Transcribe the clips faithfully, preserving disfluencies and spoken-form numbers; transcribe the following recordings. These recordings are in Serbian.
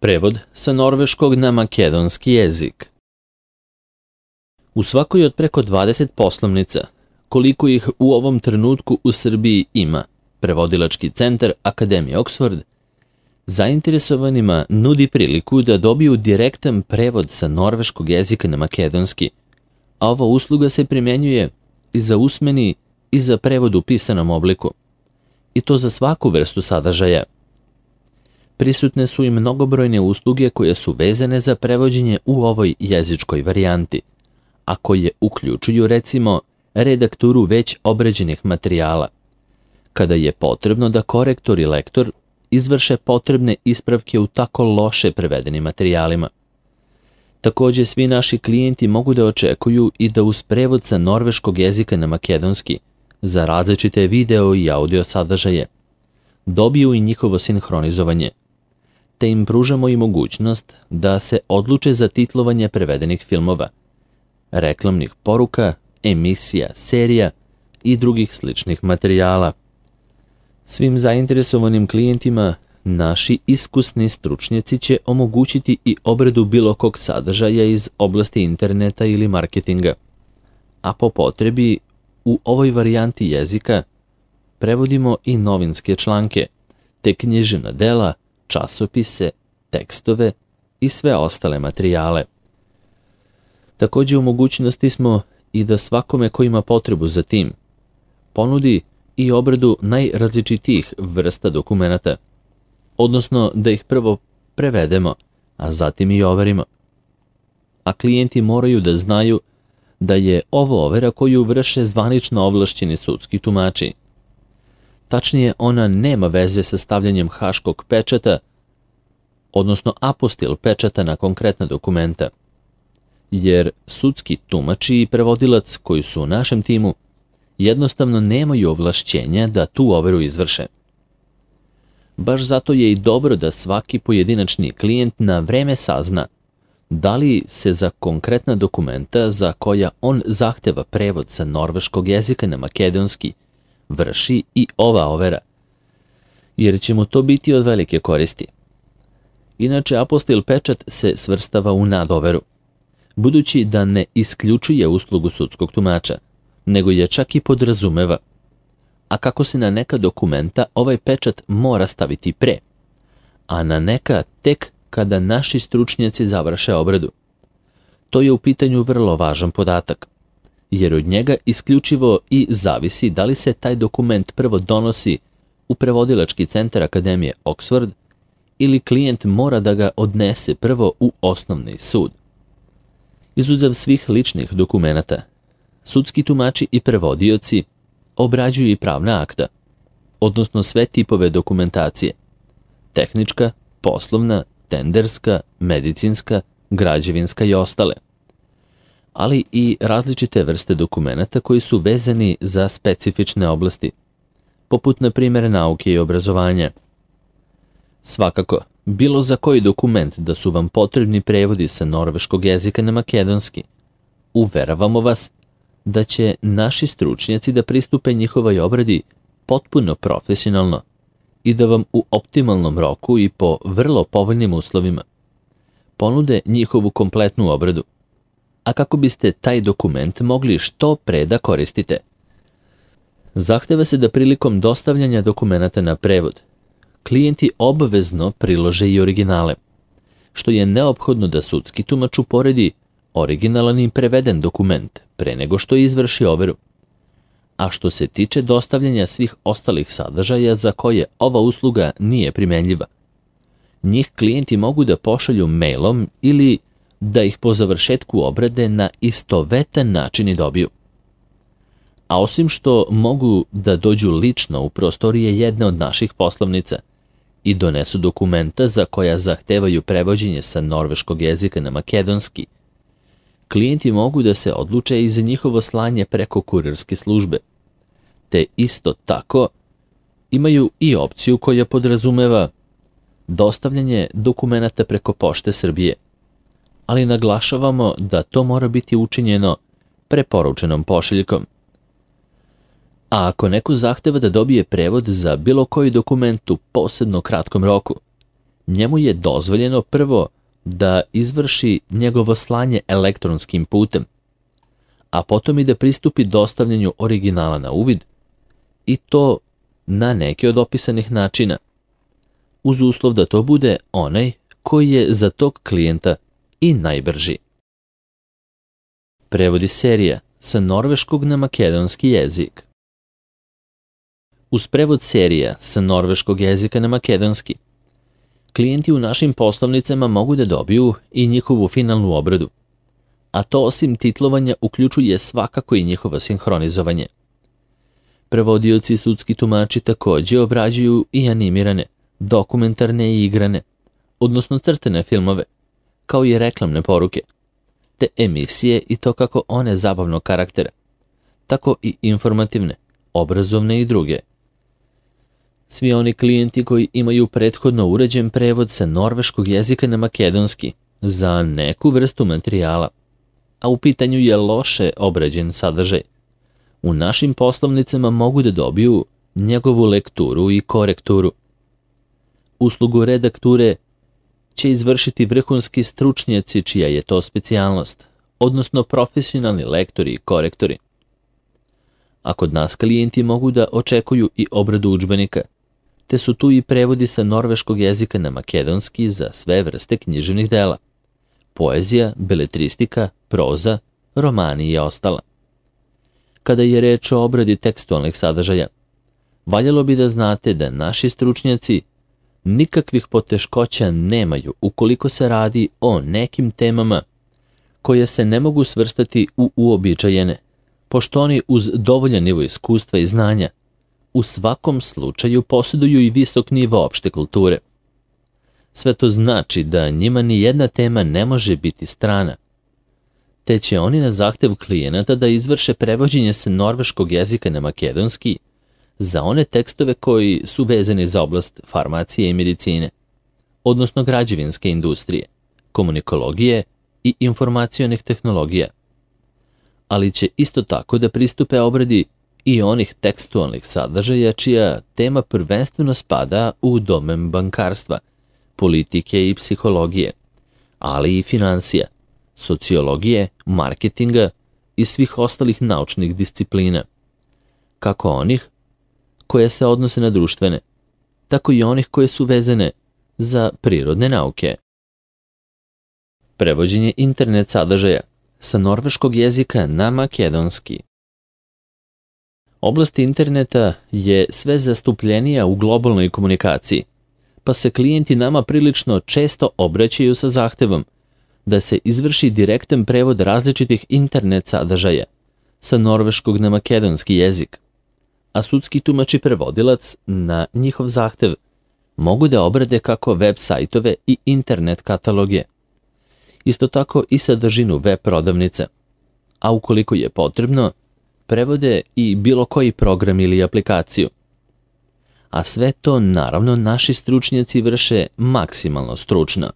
Prevod sa norveškog na makedonski jezik. U svakoj od preko dvadeset poslovnica, koliko ih u ovom trenutku u Srbiji ima, prevodilački centar Akademije Oxford zainteresovanima nudi priliku da dobiju direktan prevod sa norveškog jezika na makedonski, a ova usluga se primjenjuje i za usmeni i za prevod u pisanom obliku, i to za svaku vrstu sadržaja. Prisutne su i mnogobrojne usluge koje su vezane za prevođenje u ovoj jezičkoj varijanti, a koje uključuju recimo redakturu već obrađenih materijala, kada je potrebno da korektor i lektor izvrše potrebne ispravke u tako loše prevedenim materijalima. Takođe, svi naši klijenti mogu da očekuju i da uz prevod sa norveškog jezika na makedonski za različite video i audio sadržaje dobiju i njihovo sinhronizovanje, te im pružamo i mogućnost da se odluče za titlovanje prevedenih filmova, reklamnih poruka, emisija, serija i drugih sličnih materijala. Svim zainteresovanim klijentima naši iskusni stručnjaci će omogućiti i obradu bilo kog sadržaja iz oblasti interneta ili marketinga, a po potrebi u ovoj varijanti jezika prevodimo i novinske članke, te književna dela, časopise, tekstove i sve ostale materijale. Takođe u mogućnosti smo i da svakome ko ima potrebu za tim ponudi i obradu najrazličitijih vrsta dokumenata, odnosno da ih prvo prevedemo, a zatim i overimo. A klijenti moraju da znaju da je ovo overa koju vrše zvanično ovlašćeni sudski tumači. Tačnije, ona nema veze sa stavljanjem haškog pečata, odnosno apostil pečata na konkretna dokumenta, jer sudski tumači i prevodilac koji su u našem timu jednostavno nemaju ovlašćenja da tu overu izvrše. Baš zato je i dobro da svaki pojedinačni klijent na vreme sazna da li se za konkretna dokumenta za koja on zahteva prevod sa norveškog jezika na makedonski vrši i ova overa, jer će mu to biti od velike koristi. Inače, apostil pečat se svrstava u nadoveru, budući da ne isključuje uslugu sudskog tumača, nego je čak i podrazumeva. A kako se na neka dokumenta ovaj pečat mora staviti pre, a na neka tek kada naši stručnjaci završe obradu. To je u pitanju vrlo važan podatak, jer od njega isključivo i zavisi da li se taj dokument prvo donosi u prevodilački centar Akademije Oxford ili klijent mora da ga odnese prvo u osnovni sud. Izuzev svih ličnih dokumenata, sudski tumači i prevodioci obrađuju i pravna akta, odnosno sve tipove dokumentacije, tehnička, poslovna, tenderska, medicinska, građevinska i ostale, ali i različite vrste dokumenata koji su vezani za specifične oblasti, poput na primjer nauke i obrazovanja. Svakako, bilo za koji dokument da su vam potrebni prevodi sa norveškog jezika na makedonski, uveravamo vas da će naši stručnjaci da pristupe njihovoj obradi potpuno profesionalno i da vam u optimalnom roku i po vrlo povoljnim uslovima ponude njihovu kompletnu obradu, a kako biste taj dokument mogli što pre da koristite. Zahteva se da prilikom dostavljanja dokumenata na prevod klijenti obavezno prilože i originale, što je neophodno da sudski tumač uporedi originalan i preveden dokument pre nego što izvrši overu. A što se tiče dostavljanja svih ostalih sadržaja za koje ova usluga nije primenljiva, njih klijenti mogu da pošalju mailom ili da ih po završetku obrade na istovetan način i dobiju. A osim što mogu da dođu lično u prostorije jedne od naših poslovnica i donesu dokumenta za koja zahtevaju prevođenje sa norveškog jezika na makedonski, klijenti mogu da se odluče i za njihovo slanje preko kurirske službe, te isto tako imaju i opciju koja podrazumeva dostavljanje dokumenata preko Pošte Srbije, ali naglašavamo da to mora biti učinjeno preporučenom pošiljkom. A ako neko zahteva da dobije prevod za bilo koji dokument u posebno kratkom roku, njemu je dozvoljeno prvo da izvrši njegovo slanje elektronskim putem, a potom i da pristupi dostavljanju originala na uvid, i to na neki od opisanih načina, uz uslov da to bude onaj koji je za tog klijenta i najbrži. Prevodi serija sa norveškog na makedonski jezik. Uz prevod serija sa norveškog jezika na makedonski, klijenti u našim poslovnicama mogu da dobiju i njihovu finalnu obradu, a to osim titlovanja uključuje svakako i njihovo sinhronizovanje. Prevodioci i sudski tumači takođe obrađuju i animirane, dokumentarne i igrane, odnosno crtane filmove, kao i reklamne poruke, te emisije i to kako one zabavnog karaktera, tako i informativne, obrazovne i druge. Svi oni klijenti koji imaju prethodno uređen prevod sa norveškog jezika na makedonski za neku vrstu materijala, a u pitanju je loše obrađen sadržaj, u našim poslovnicama mogu da dobiju njegovu lekturu i korekturu. Uslugu redakture će izvršiti vrhunski stručnjaci čija je to specijalnost, odnosno profesionalni lektori i korektori. A kod nas klijenti mogu da očekuju i obradu udžbenika, te su tu i prevodi sa norveškog jezika na makedonski za sve vrste književnih dela, poezija, beletristika, proza, romani i ostala. Kada je reč o obradi tekstualnih sadržaja, valjalo bi da znate da naši stručnjaci nikakvih poteškoća nemaju ukoliko se radi o nekim temama koje se ne mogu svrstati u uobičajene, pošto oni uz dovoljan nivo iskustva i znanja u svakom slučaju posjeduju i visok nivo opšte kulture. Sve to znači da njima ni jedna tema ne može biti strana, te će oni na zahtev klijenata da izvrše prevođenje sa norveškog jezika na makedonski za one tekstove koji su vezani za oblast farmacije i medicine, odnosno građevinske industrije, komunikologije i informacionih tehnologija. Ali će isto tako da pristupe obradi i onih tekstualnih sadržaja čija tema prvenstveno spada u domen bankarstva, politike i psihologije, ali i finansija, sociologije, marketinga i svih ostalih naučnih disciplina, kako onih koje se odnose na društvene, tako i onih koje su vezane za prirodne nauke. Prevođenje internet sadržaja sa norveškog jezika na makedonski. Oblast interneta je sve zastupljenija u globalnoj komunikaciji, pa se klijenti nama prilično često obraćaju sa zahtevom da se izvrši direktan prevod različitih internet sadržaja sa norveškog na makedonski jezik, a sudski tumač i prevodilac na njihov zahtev mogu da obrade kako web sajtove i internet kataloge, isto tako i sadržinu web prodavnice, a ukoliko je potrebno, prevode i bilo koji program ili aplikaciju. A sve to, naravno, naši stručnjaci vrše maksimalno stručno.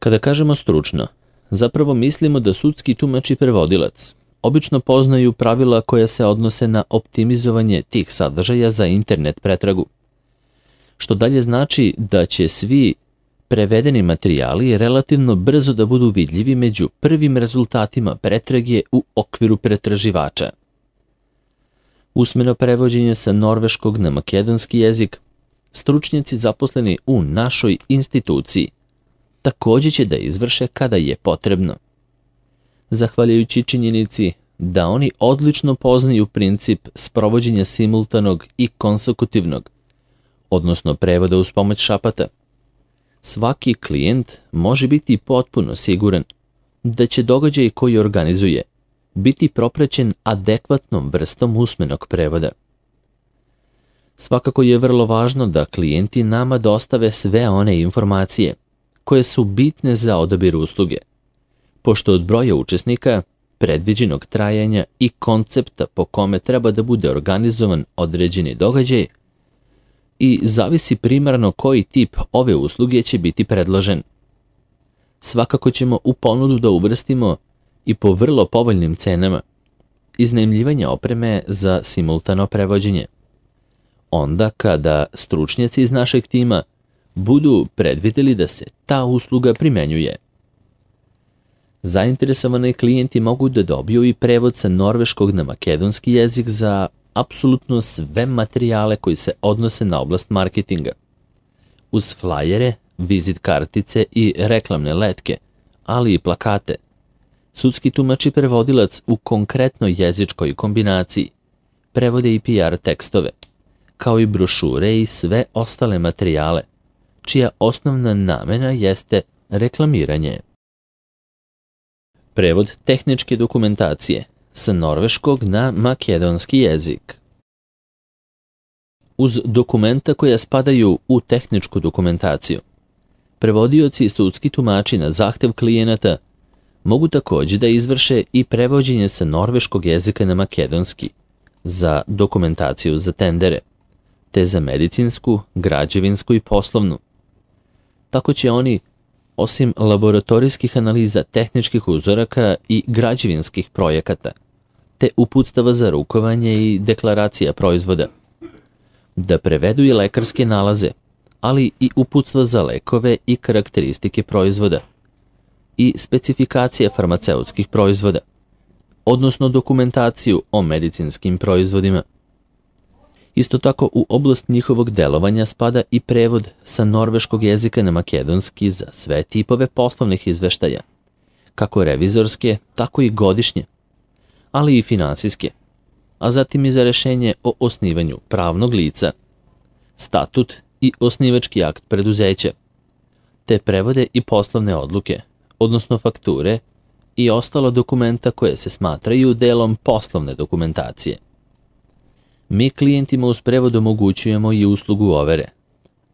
Kada kažemo stručno, zapravo mislimo da sudski tumač i prevodilac obično poznaju pravila koja se odnose na optimizovanje tih sadržaja za internet pretragu, što dalje znači da će svi prevedeni materijali relativno brzo da budu vidljivi među prvim rezultatima pretrage u okviru pretraživača. Usmeno prevođenje sa norveškog na makedonski jezik stručnjaci zaposleni u našoj instituciji također će da izvrše kada je potrebno. Zahvaljujući činjenici da oni odlično poznaju princip sprovođenja simultanog i konsekutivnog, odnosno prevoda uz pomoć šapata, svaki klijent može biti potpuno siguran da će događaj koji organizuje biti propraćen adekvatnom vrstom usmenog prevoda. Svakako je vrlo važno da klijenti nama dostave sve one informacije koje su bitne za odabir usluge, pošto od broja učesnika, predviđenog trajanja i koncepta po kome treba da bude organizovan određeni događaj i zavisi primarno koji tip ove usluge će biti predložen. Svakako ćemo u ponudu da uvrstimo i po vrlo povoljnim cenama iznajmljivanje opreme za simultano prevođenje. Onda kada stručnjaci iz našeg tima budu predvideli da se ta usluga primenjuje. Zainteresovani klijenti mogu da dobiju i prevod sa norveškog na makedonski jezik za apsolutno sve materijale koji se odnose na oblast marketinga. Uz flajere, vizit kartice i reklamne letke, ali i plakate, sudski tumač i prevodilac u konkretnoj jezičkoj kombinaciji prevode i P R tekstove, kao i brošure i sve ostale materijale, čija osnovna namena jeste reklamiranje. Prevod tehničke dokumentacije sa norveškog na makedonski jezik. Uz dokumenta koja spadaju u tehničku dokumentaciju, prevodioci i sudski tumači na zahtev klijenata mogu također da izvrše i prevođenje sa norveškog jezika na makedonski za dokumentaciju za tendere, te za medicinsku, građevinsku i poslovnu. Tako će oni, osim laboratorijskih analiza tehničkih uzoraka i građevinskih projekata, te uputstava za rukovanje i deklaracija proizvoda, da prevedu i lekarske nalaze, ali i uputstva za lekove i karakteristike proizvoda i specifikacije farmaceutskih proizvoda, odnosno dokumentaciju o medicinskim proizvodima. Isto tako u oblast njihovog delovanja spada i prevod sa norveškog jezika na makedonski za sve tipove poslovnih izveštaja, kako revizorske, tako i godišnje, ali i finansijske, a zatim i za rešenje o osnivanju pravnog lica, statut i osnivački akt preduzeća, te prevode i poslovne odluke, odnosno fakture i ostala dokumenta koje se smatraju delom poslovne dokumentacije. Mi klijentima uz prevod omogućujemo i uslugu overe,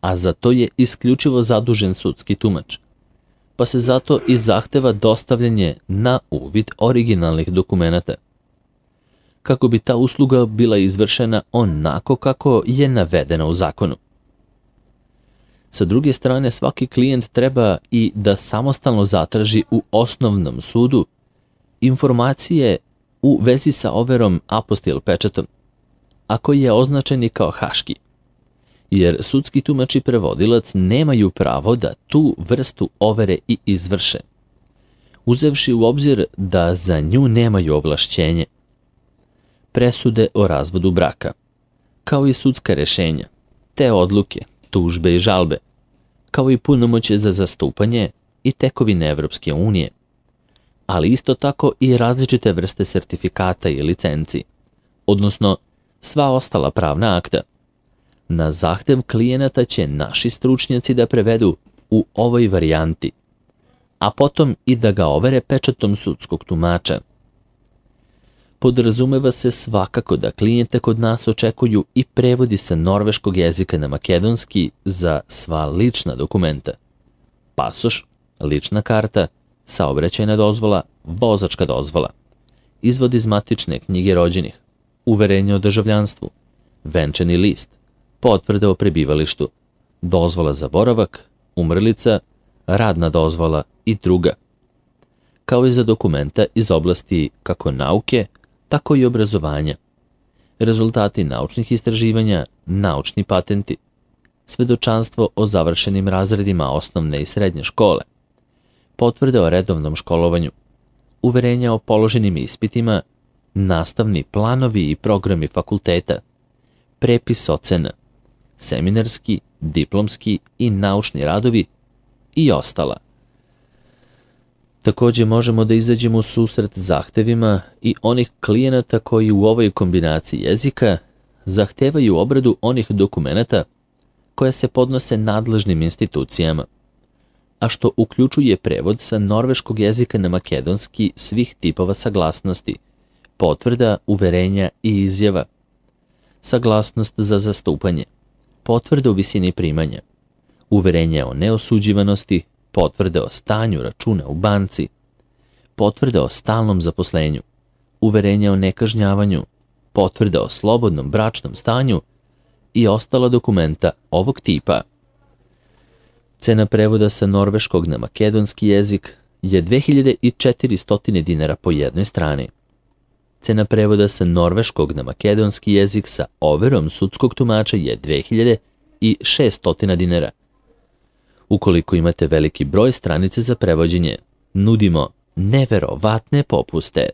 a za to je isključivo zadužen sudski tumač, pa se zato i zahteva dostavljanje na uvid originalnih dokumenata, kako bi ta usluga bila izvršena onako kako je navedena u zakonu. Sa druge strane, svaki klijent treba i da samostalno zatraži u osnovnom sudu informacije u vezi sa overom apostil pečatom, a koji je označen i kao haški, jer sudski tumač i prevodilac nemaju pravo da tu vrstu overe i izvrše, uzevši u obzir da za nju nemaju ovlašćenje. Presude o razvodu braka, kao i sudska rešenja, te odluke, tužbe i žalbe, kao i punomoćje za zastupanje i tekovine Evropske unije, ali isto tako i različite vrste sertifikata i licenci, odnosno sva ostala pravna akta. Na zahtev klijenata će naši stručnjaci da prevedu u ovoj varijanti, a potom i da ga overe pečatom sudskog tumača. Podrazumeva se svakako da klijente kod nas očekuju i prevodi sa norveškog jezika na makedonski za sva lična dokumenta: pasoš, lična karta, saobraćajna dozvola, vozačka dozvola, izvod iz matične knjige rođenih, uverenje o državljanstvu, venčani list, potvrda o prebivalištu, dozvola za boravak, umrlica, radna dozvola i druga, kao i za dokumenta iz oblasti kako nauke, tako i obrazovanja, rezultati naučnih istraživanja, naučni patenti, svedočanstvo o završenim razredima osnovne i srednje škole, potvrde o redovnom školovanju, uverenja o položenim ispitima, nastavni planovi i programi fakulteta, prepis ocena, seminarski, diplomski i naučni radovi i ostala. Također možemo da izađemo u susret zahtevima i onih klijenata koji u ovoj kombinaciji jezika zahtevaju obradu onih dokumenata koje se podnose nadležnim institucijama, a što uključuje prevod sa norveškog jezika na makedonski svih tipova saglasnosti, potvrda, uverenja i izjava, saglasnost za zastupanje, potvrda u visini primanja, uverenje o neosuđivanosti, potvrde o stanju računa u banci, potvrde o stalnom zaposlenju, uverenje o nekažnjavanju, potvrde o slobodnom bračnom stanju i ostala dokumenta ovog tipa. Cena prevoda sa norveškog na makedonski jezik je dve hiljade četiristo dinara po jednoj strani. Cena prevoda sa norveškog na makedonski jezik sa overom sudskog tumača je dve hiljade šeststo dinara, Ukoliko imate veliki broj stranica za prevođenje, nudimo neverovatne popuste.